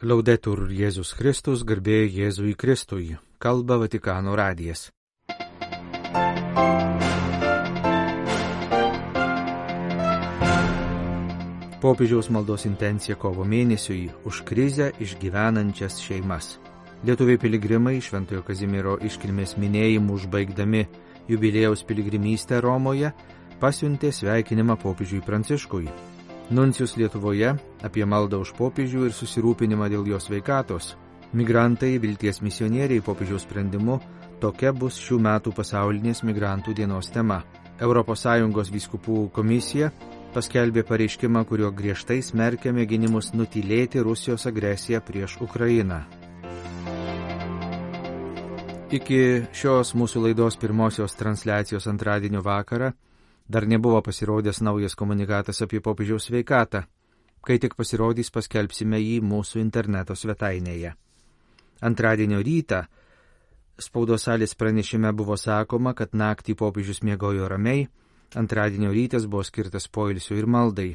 Laudetur Jėzus Kristus, garbė Jėzui Kristui, kalba Vatikano radijas. Popiežiaus maldos intencija kovo mėnesiui už krizę išgyvenančias šeimas. Lietuviai piligrimai Šventojo Kazimiero iškilmės minėjimų užbaigdami jubiliejaus piligrimystę Romoje pasiuntė sveikinimą popiežiui Pranciškui. Nuncijus Lietuvoje apie maldą už popiežių ir susirūpinimą dėl jo sveikatos. Migrantai, vilties misionieriai popiežiaus sprendimu, tokia bus šių metų pasaulinės migrantų dienos tema. ES vyskupų komisija paskelbė pareiškimą, kurio griežtai smerkia mėginimus nutylėti Rusijos agresiją prieš Ukrainą. Iki šios mūsų laidos pirmosios transliacijos antradienio vakarą dar nebuvo pasirodęs naujas komunikatas apie popiežiaus sveikatą. Kai tik pasirodys, paskelbsime jį mūsų interneto svetainėje. Antradienio rytą spaudos salės pranešime buvo sakoma, kad naktį popiežius miegojo ramiai, antradienio rytas buvo skirtas poilsiui ir maldai.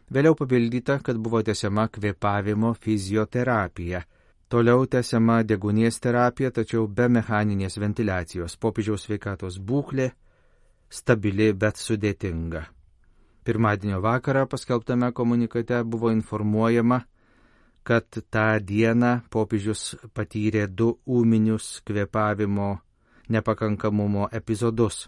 Vėliau papildyta, kad buvo tęsiama kvėpavimo fizioterapija. Toliau tęsiama deguonies terapija, tačiau be mechaninės ventiliacijos. Popiežiaus sveikatos būklė stabili, bet sudėtinga. Pirmadienio vakarą paskelbtame komunikate buvo informuojama, kad tą dieną popiežius patyrė 2 ūminius kvėpavimo nepakankamumo epizodus,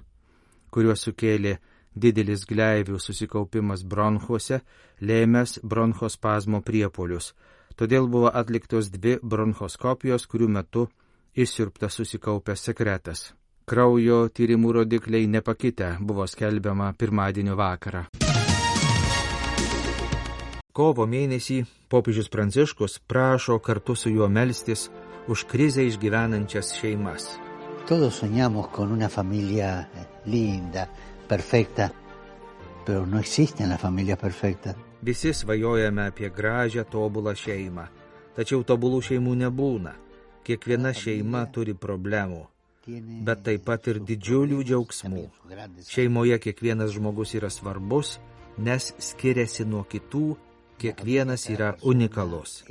kuriuos sukėlė didelis gleivių susikaupimas bronchuose, lėmęs bronchospazmo priepuolius. Todėl buvo atliktos 2 bronchoskopijos, kurių metu išsiurbtas susikaupęs sekretas. Kraujo tyrimų rodikliai nepakitę, buvo skelbiama pirmadienio vakarą. Kovo mėnesį popiežius Pranciškus prašo kartu su juo melstis už krizę išgyvenančias šeimas. Todos soñamos con una familia linda, perfecta, pero no existen las familias perfectas. Visi svajojame apie gražią, tobulą šeimą, tačiau tobulų šeimų nebūna. Kiekviena šeima turi problemų, bet taip pat ir didžiulių džiaugsmų. Šeimoje kiekvienas žmogus yra svarbus, nes skiriasi nuo kitų, kiekvienas yra unikalus.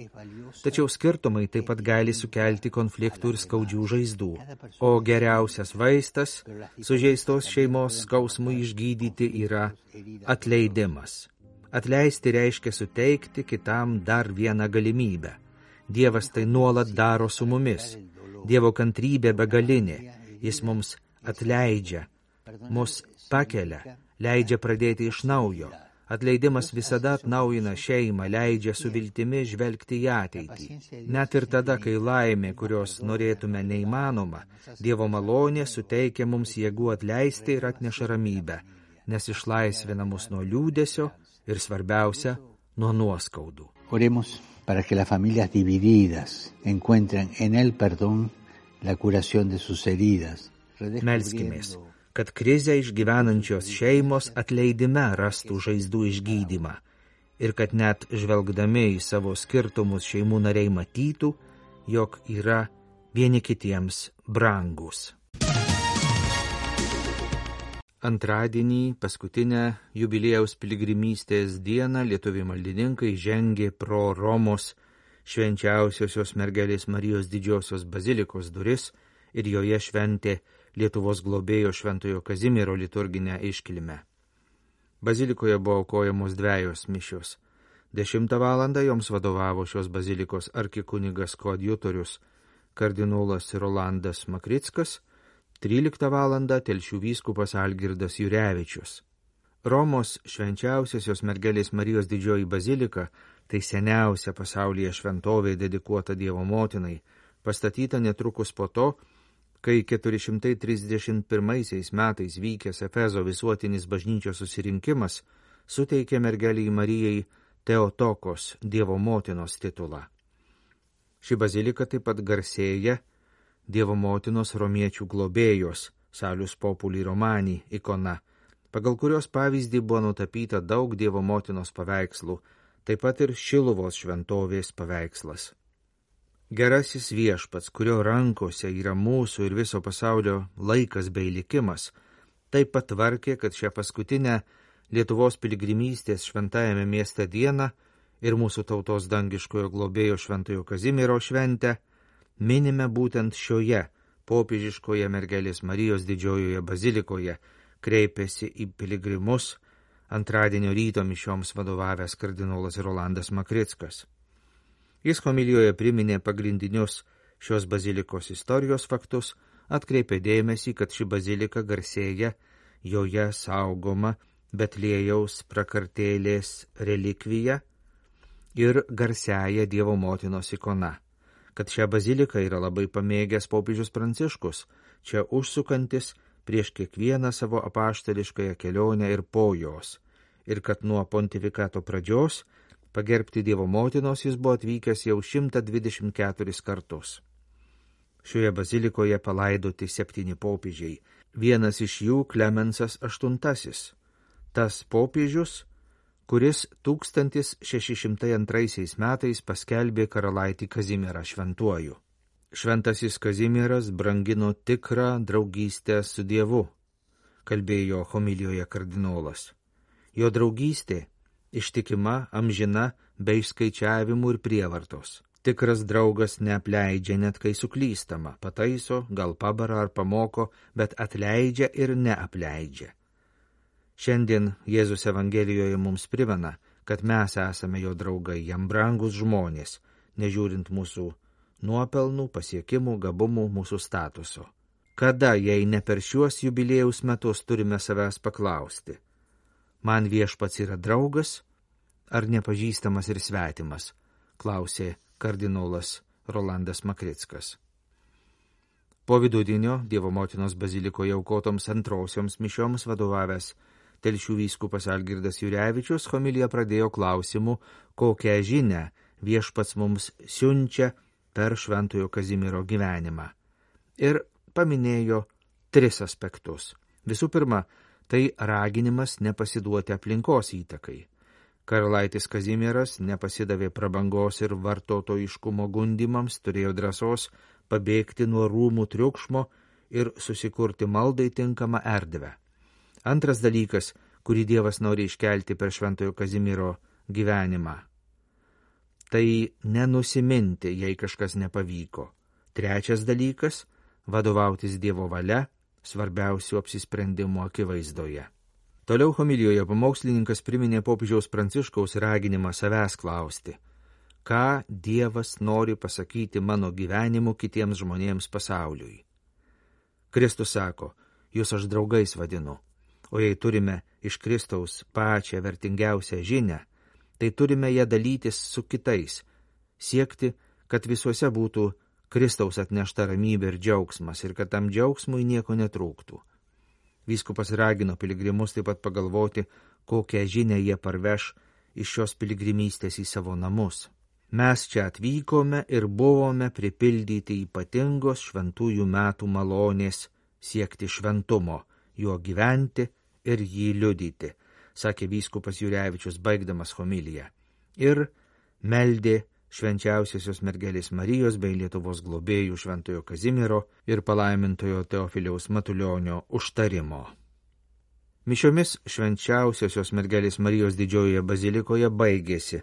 Tačiau skirtumai taip pat gali sukelti konfliktų ir skaudžių žaizdų. O geriausias vaistas sužeistos šeimos skausmui išgydyti yra atleidimas. Atleisti reiškia suteikti kitam dar vieną galimybę. Dievas tai nuolat daro su mumis. Dievo kantrybė begalinė, jis mums atleidžia, mus pakelia, leidžia pradėti iš naujo. Atleidimas visada atnaujina šeimą, leidžia su viltimi žvelgti į ateitį. Net ir tada, kai laimė, kurios norėtume neįmanoma, Dievo malonė suteikia mums jėgų atleisti ir atneša ramybę, nes išlaisvina mus nuo liūdesio ir svarbiausia, nuo nuoskaudų. Oremos para que las familias divididas encuentren en el perdón la curación de sus heridas. Melskimės, kad krizę išgyvenančios šeimos atleidime rastų žaizdų išgydymą ir kad net žvelgdami į savo skirtumus šeimų nariai matytų, jog yra vieni kitiems brangus. Antradienį, paskutinę jubiliejaus piligrimystės dieną, lietuviai maldininkai žengė pro Romos švenčiausiosios mergelės Marijos didžiosios bazilikos duris ir joje šventė Lietuvos globėjo Šventojo Kazimiero liturginę iškilmę. Bazilikoje buvo aukojamos 2 mišios. 10 valandą joms vadovavo šios bazilikos arkikunigas koadjutorius kardinolas Rolandas Makrickas, 13 valandą Telšių vyskupas Algirdas Jurevičius. Romos švenčiausiosios mergelės Marijos didžioji bazilika tai seniausia pasaulyje šventovė dedikuota Dievo motinai, pastatyta netrukus po to, kai 431 metais vykęs Efezo visuotinis bažnyčios susirinkimas suteikė mergelei Marijai Teotokos Dievo motinos titulą. Ši bazilika taip pat garsėja Dievo motinos romiečių globėjos Salus Populi Romani ikona, pagal kurios pavyzdį buvo nutapyta daug Dievo motinos paveikslų, taip pat ir Šiluvos šventovės paveikslas. Gerasis viešpats, kurio rankose yra mūsų ir viso pasaulio laikas bei likimas, taip pat tvarkė, kad šią paskutinę Lietuvos piligrimystės šventajame mieste dieną ir mūsų tautos dangiškojo globėjo Šventojo Kazimiero šventę minime būtent šioje popiežiškoje mergelės Marijos didžiojoje bazilikoje, kreipėsi į piligrimus antradienio ryto mišioms vadovavęs kardinolas Rolandas Makrickas. Jis homilijoje priminė pagrindinius šios bazilikos istorijos faktus, atkreipė dėmesį, kad ši bazilika garsėja joje saugoma Betliejaus prakartėlės relikvija ir garsiaja Dievo motinos ikona, kad šią baziliką yra labai pamėgęs popiežius Pranciškus, čia užsukantis prieš kiekvieną savo apaštališkąją kelionę ir po jos, ir kad nuo pontifikato pradžios pagerbti Dievo motinos jis buvo atvykęs jau 124 kartus. Šioje bazilikoje palaidoti 7 popiežiai, vienas iš jų Klemensas VIII, tas popiežius, kuris 1602 metais paskelbė karalaitį Kazimierą šventuoju. Šventasis Kazimieras brangino tikrą draugystę su Dievu, kalbėjo homilijoje kardinolas. Jo draugystė ištikima, amžina, be išskaičiavimų ir prievartos. Tikras draugas neapleidžia net kai suklystama, pataiso, gal pabara ar pamoko, bet atleidžia ir neapleidžia. Šiandien Jėzus Evangelijoje mums primena, kad mes esame jo draugai, jam brangus žmonės, nežiūrint mūsų nuopelnų, pasiekimų, gabumų, mūsų statuso. Kada, jei ne per šiuos jubiliejaus metus, turime savęs paklausti? Man viešpats yra draugas ar nepažįstamas ir svetimas? Klausė kardinolas Rolandas Makrickas. Po vidudienio Dievo motinos bazilikoje aukotoms antrosioms mišioms vadovavęs Telšių vyskupas Algirdas Jurevičius homiliją pradėjo klausimu, kokią žinią viešpats mums siunčia per Šventojo Kazimiero gyvenimą. Ir paminėjo 3 aspektus. Visų pirma, tai raginimas nepasiduoti aplinkos įtakai. Karalaitis Kazimieras nepasidavė prabangos ir vartotojiškumo gundimams, turėjo drąsos pabėgti nuo rūmų triukšmo ir susikurti maldai tinkamą erdvę. Antras dalykas, kurį Dievas nori iškelti per Šventojo Kazimiero gyvenimą, tai nenusiminti, jei kažkas nepavyko. Trečias dalykas – vadovautis Dievo valia, svarbiausių apsisprendimų akivaizdoje. Toliau homilijoje pamokslininkas priminė popiežiaus Pranciškaus raginimą savęs klausti, ką Dievas nori pasakyti mano gyvenimu kitiems žmonėms pasauliui. Kristus sako, jūs aš draugais vadinu, o jei turime iš Kristaus pačią vertingiausią žinią, tai turime ją dalytis su kitais, siekti, kad visuose būtų Kristaus atnešta ramybė ir džiaugsmas ir kad tam džiaugsmui nieko netrūktų. Vyskupas ragino piligrimus taip pat pagalvoti, kokią žinią jie parveš iš šios piligrimystės į savo namus. Mes čia atvykome ir buvome pripildyti ypatingos šventųjų metų malonės siekti šventumo, juo gyventi ir jį liudyti, sakė vyskupas Jurevičius baigdamas homiliją. Ir meldė švenčiausiosios mergelės Marijos bei Lietuvos globėjų Šventojo Kazimiero ir palaimintojo Teofiliaus Matulionio užtarimo. Mišiomis švenčiausiosios mergelės Marijos didžiojoje bazilikoje baigėsi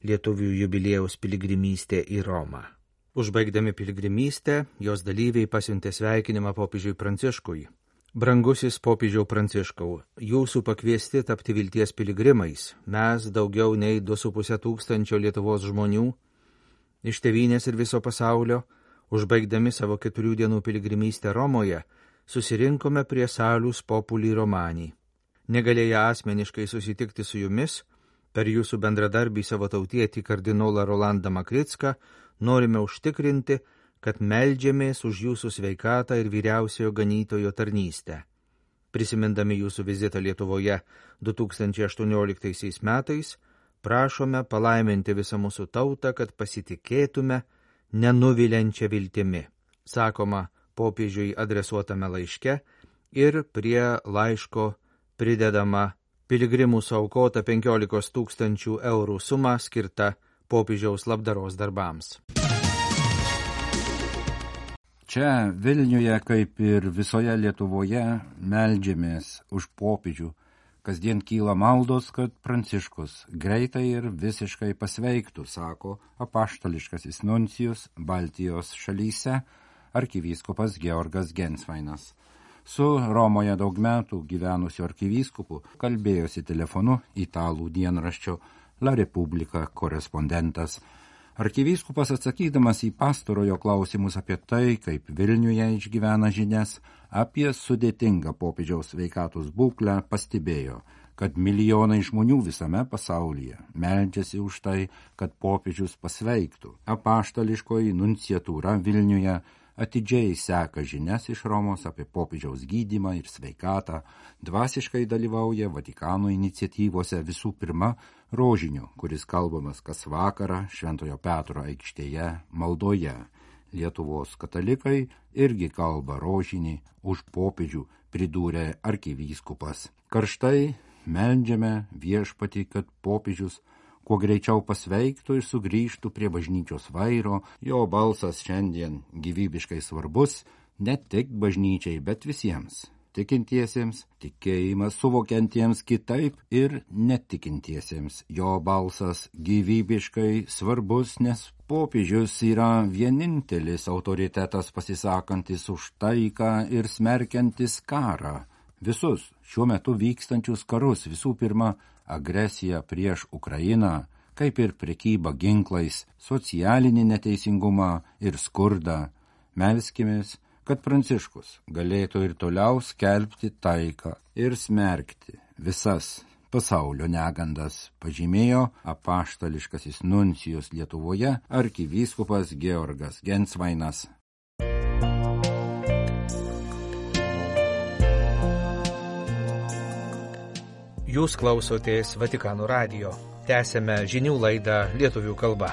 lietuvių jubiliejaus piligrimystė į Romą. Užbaigdami piligrimystę, jos dalyviai pasiuntė sveikinimą popiežiui Pranciškui. Brangusis popiežiau Pranciškau, jūsų pakviesti tapti vilties piligrimais, mes daugiau nei 2,5 tūkstančio Lietuvos žmonių, iš tėvynės ir viso pasaulio, užbaigdami savo 4 dienų piligrimystę Romoje, susirinkome prie Salus Populi Romani. Negalėję asmeniškai susitikti su jumis, per jūsų bendradarbį savo tautietį kardinolą Rolandą Makricką, norime užtikrinti, kad meldžiamės už jūsų sveikatą ir vyriausiojo ganytojo tarnystę. Prisimindami jūsų vizitą Lietuvoje 2018 metais, prašome palaiminti visą mūsų tautą, kad pasitikėtume nenuviliančią viltimi, sakoma popiežiui adresuotame laiške ir prie laiško pridedama piligrimų suaukota 15 000 eurų suma skirta popiežiaus labdaros darbams. Čia Vilniuje, kaip ir visoje Lietuvoje, meldžiamės už popiežių, Kasdien kyla maldos, kad Pranciškus greitai ir visiškai pasveiktų, sako apaštališkasis nuncijus Baltijos šalyse arkivyskupas Georgas Gensvainas. Su Romoje daug metų gyvenusiu arkivyskupu kalbėjosi telefonu italų dienraščio La Repubblica korespondentas. Arkivyskupas atsakydamas į pastarojo klausimus apie tai, kaip Vilniuje išgyvena žinias apie sudėtingą popiežiaus sveikatos būklę, pastebėjo, kad milijonai žmonių visame pasaulyje meldžiasi už tai, kad popiežius pasveiktų. Apaštališkoji nunciatūra Vilniuje atidžiai seka žinias iš Romos apie popiežiaus gydymą ir sveikatą, dvasiškai dalyvauja Vatikano iniciatyvose, visų pirma rožiniu, kuris kalbamas kas vakarą Šventojo Petro aikštėje maldoje. Lietuvos katalikai irgi kalba rožinį už popiežių, pridūrė arkivyskupas. Karštai meldžiame Viešpatį, kad popiežius kuo greičiau pasveiktų ir sugrįžtų prie bažnyčios vairo. Jo balsas šiandien gyvybiškai svarbus ne tik bažnyčiai, bet visiems tikintiesiems, tikėjimą suvokiantiems kitaip ir netikintiesiems. Jo balsas gyvybiškai svarbus, nes popiežius yra vienintelis autoritetas pasisakantis už taiką ir smerkiantis karą. Visus šiuo metu vykstančius karus, visų pirma, agresiją prieš Ukrainą, kaip ir prekybą ginklais, socialinį neteisingumą ir skurdą. Melskimės, kad Pranciškus galėtų ir toliau skelbti taiką ir smerkti visas pasaulio negandas, pažymėjo apaštališkasis nuncijus Lietuvoje arkivyskupas Georgas Gensvainas. Jūs klausotės Vatikano radijo. Tęsėme žinių laidą lietuvių kalba.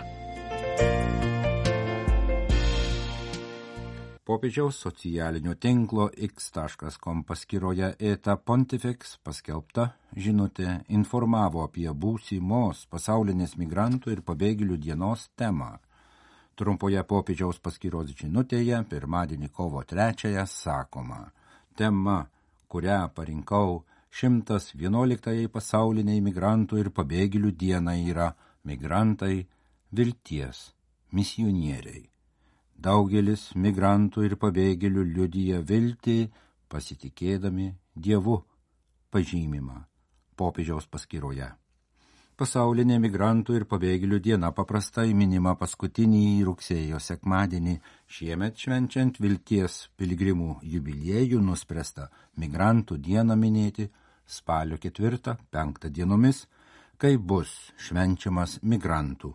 Popiežiaus socialinio tinklo x.com paskyroje Eta Pontifex paskelbta žinutė informavo apie būsimos pasaulinės migrantų ir pabėgėlių dienos temą. Trumpoje popiežiaus paskyros žinutėje pirmadienį kovo 3 sakoma: tema, kurią parinkau 111 pasauliniai migrantų ir pabėgėlių dienai, yra migrantai vilties misionieriai. Daugelis migrantų ir pabėgėlių liudija viltį pasitikėdami Dievu, pažymima popiežiaus paskyroje. Pasaulinė migrantų ir pabėgėlių diena paprastai minima paskutinį rugsėjo sekmadienį. Šiemet švenčiant vilties piligrimų jubiliejų nuspręsta migrantų dieną minėti spalio 4-5 dienomis, kai bus švenčiamas migrantų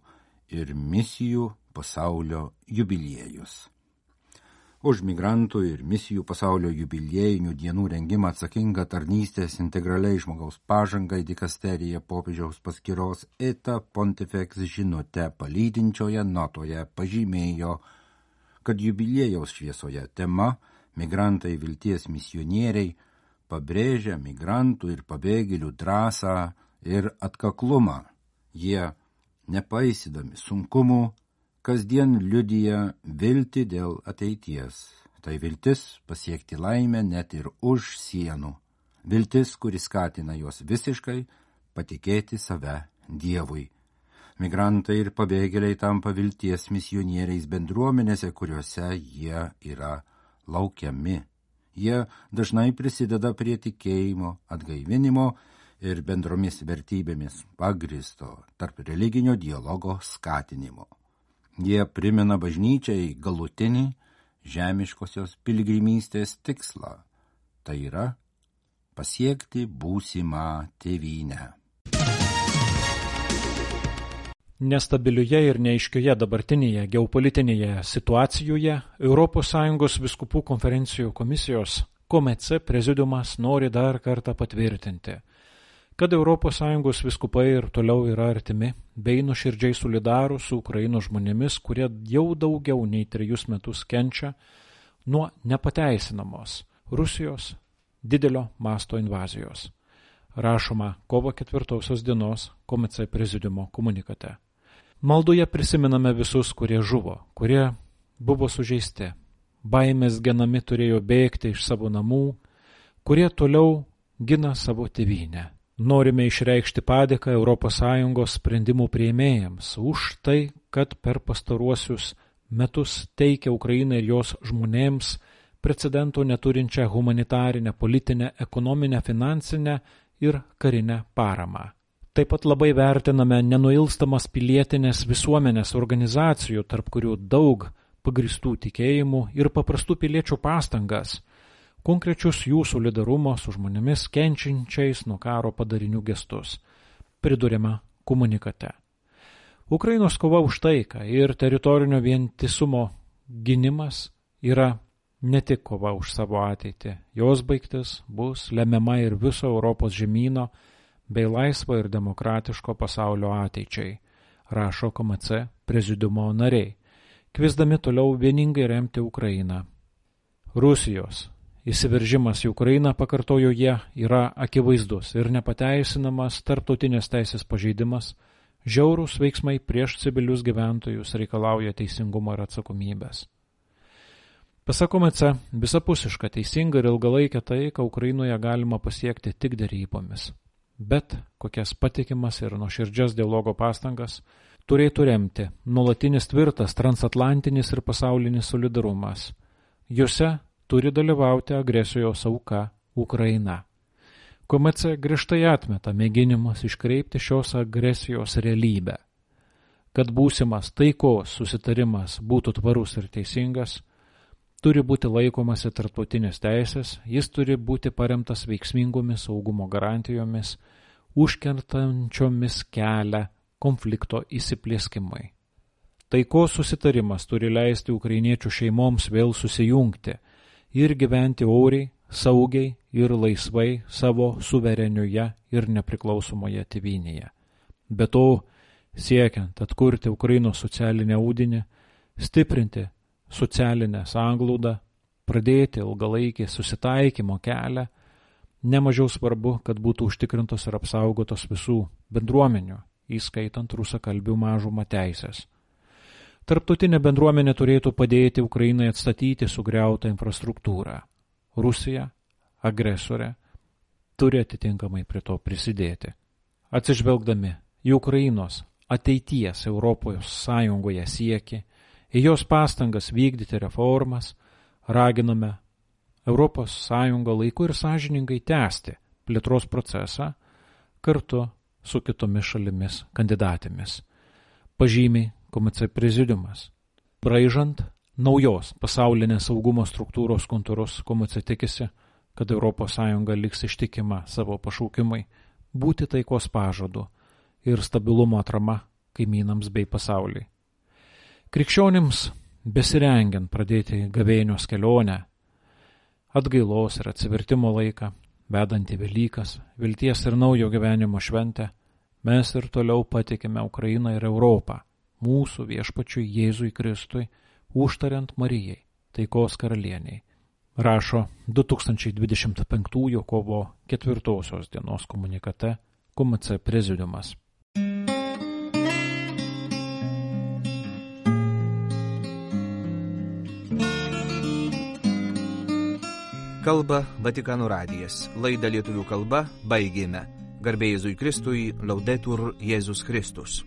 ir misijų pasaulio jubiliejus. Už migrantų ir misijų pasaulio jubiliejinių dienų rengimą atsakinga tarnystės integraliai žmogaus pažangai dikasterija popiežiaus paskyros Eta Pontifex žinute palydinčioje notoje pažymėjo, kad jubiliejaus šviesoje tema migrantai vilties misionieriai pabrėžia migrantų ir pabėgėlių drąsą ir atkaklumą. Jie, nepaisydami sunkumų, kasdien liudija viltį dėl ateities. Tai viltis pasiekti laimę net ir už sienų. Viltis, kuri skatina juos visiškai patikėti save Dievui. Migrantai ir pabėgėliai tampa vilties misionieriais bendruomenėse, kuriuose jie yra laukiami. Jie dažnai prisideda prie tikėjimo, atgaivinimo ir bendromis vertybėmis pagristo tarp religinio dialogo skatinimo. Jie primena bažnyčiai galutinį žemiškosios piligrimystės tikslą, tai yra pasiekti būsimą tėvynę. Nestabilioje ir neaiškioje dabartinėje geopolitinėje situacijoje ES vyskupų konferencijų komisijos KOMECE prezidiumas nori dar kartą patvirtinti, kad ES vyskupai ir toliau yra artimi bei nuoširdžiai solidarūs su Ukrainos žmonėmis, kurie jau daugiau nei 3 metus kenčia nuo nepateisinamos Rusijos didelio masto invazijos. Rašoma kovo 4 dienos KOMECE prezidiumo komunikate. Maldoje prisimename visus, kurie žuvo, kurie buvo sužeisti, baimės genami turėjo bėgti iš savo namų, kurie toliau gina savo tėvynę. Norime išreikšti padėką ES sprendimų priėmėjams už tai, kad per pastaruosius metus teikia Ukrainai ir jos žmonėms precedento neturinčią humanitarinę, politinę, ekonominę, finansinę ir karinę paramą. Taip pat labai vertiname nenuilstamas pilietinės visuomenės organizacijų, tarp kurių daug pagristų tikėjimų ir paprastų piliečių pastangas, konkrečius jų solidarumo su žmonėmis kenčiančiais nuo karo padarinių gestus, priduriama komunikate. Ukrainos kova už taiką ir teritorinio vientisumo gynimas yra ne tik kova už savo ateitį, jos baigtis bus lemiama ir viso Europos žemyno bei laisvo ir demokratiško pasaulio ateičiai, rašo KMC prezidiumo nariai, kviesdami toliau vieningai remti Ukrainą. Rusijos įsiveržimas į Ukrainą, pakartojo jie, yra akivaizdus ir nepateisinamas tarptautinės teisės pažeidimas, žiaurūs veiksmai prieš civilius gyventojus reikalauja teisingumo ir atsakomybės. Pasak KMC, visapusišką, teisingą ir ilgalaikę taiką Ukrainoje galima pasiekti tik derybomis, bet kokias patikimas ir nuoširdžias dialogo pastangas turėtų remti nuolatinis tvirtas transatlantinis ir pasaulinis solidarumas. Juose turi dalyvauti agresijos auka Ukraina. KMC griežtai atmeta mėginimus iškreipti šios agresijos realybę. Kad būsimas taikos susitarimas būtų tvarus ir teisingas, turi būti laikomasi tarptautinės teisės, jis turi būti paremtas veiksmingomis saugumo garantijomis, užkertančiomis kelią konflikto įsiplieskimui. Taikos susitarimas turi leisti ukrainiečių šeimoms vėl susijungti ir gyventi oriai, saugiai ir laisvai savo suverenioje ir nepriklausomoje tėvynėje. Be to, siekiant atkurti Ukrainos socialinę audinį, stiprinti socialinę sanglaudą, pradėti ilgalaikį susitaikymo kelią, nemažiau svarbu, kad būtų užtikrintos ir apsaugotos visų bendruomenių, įskaitant rusakalbių mažumą teisės. Tarptautinė bendruomenė turėtų padėti Ukrainai atstatyti sugriautą infrastruktūrą. Rusija, agresorė, turi atitinkamai prie to prisidėti. Atsižvelgdami į Ukrainos ateities Europos Sąjungoje siekį, į jos pastangas vykdyti reformas, raginame Europos Sąjungą laiku ir sąžiningai tęsti plėtros procesą kartu su kitomis šalimis kandidatėmis. Pažymi KMC prezidiumas. Braižant naujos pasaulinės saugumo struktūros kontūrus, KMC tikisi, kad Europos Sąjunga liks ištikima savo pašaukimui būti taikos pažadu ir stabilumo atrama kaimynams bei pasauliui. Krikščionims besirengiant pradėti gavėnios kelionę, atgailos ir atsivertimo laiką, vedant į Velykas, vilties ir naujo gyvenimo šventę, mes ir toliau patikime Ukrainą ir Europą, mūsų viešpačiui Jėzui Kristui, užtariant Marijai, taikos karalieniai, rašo 2025 kovo 4 dienos komunikate KMC prezidiumas. Kalba Vatikano radijas. Laidą lietuvių kalba baigėme. Garbė Jėzui Kristui, Laudetur Jėzus Kristus.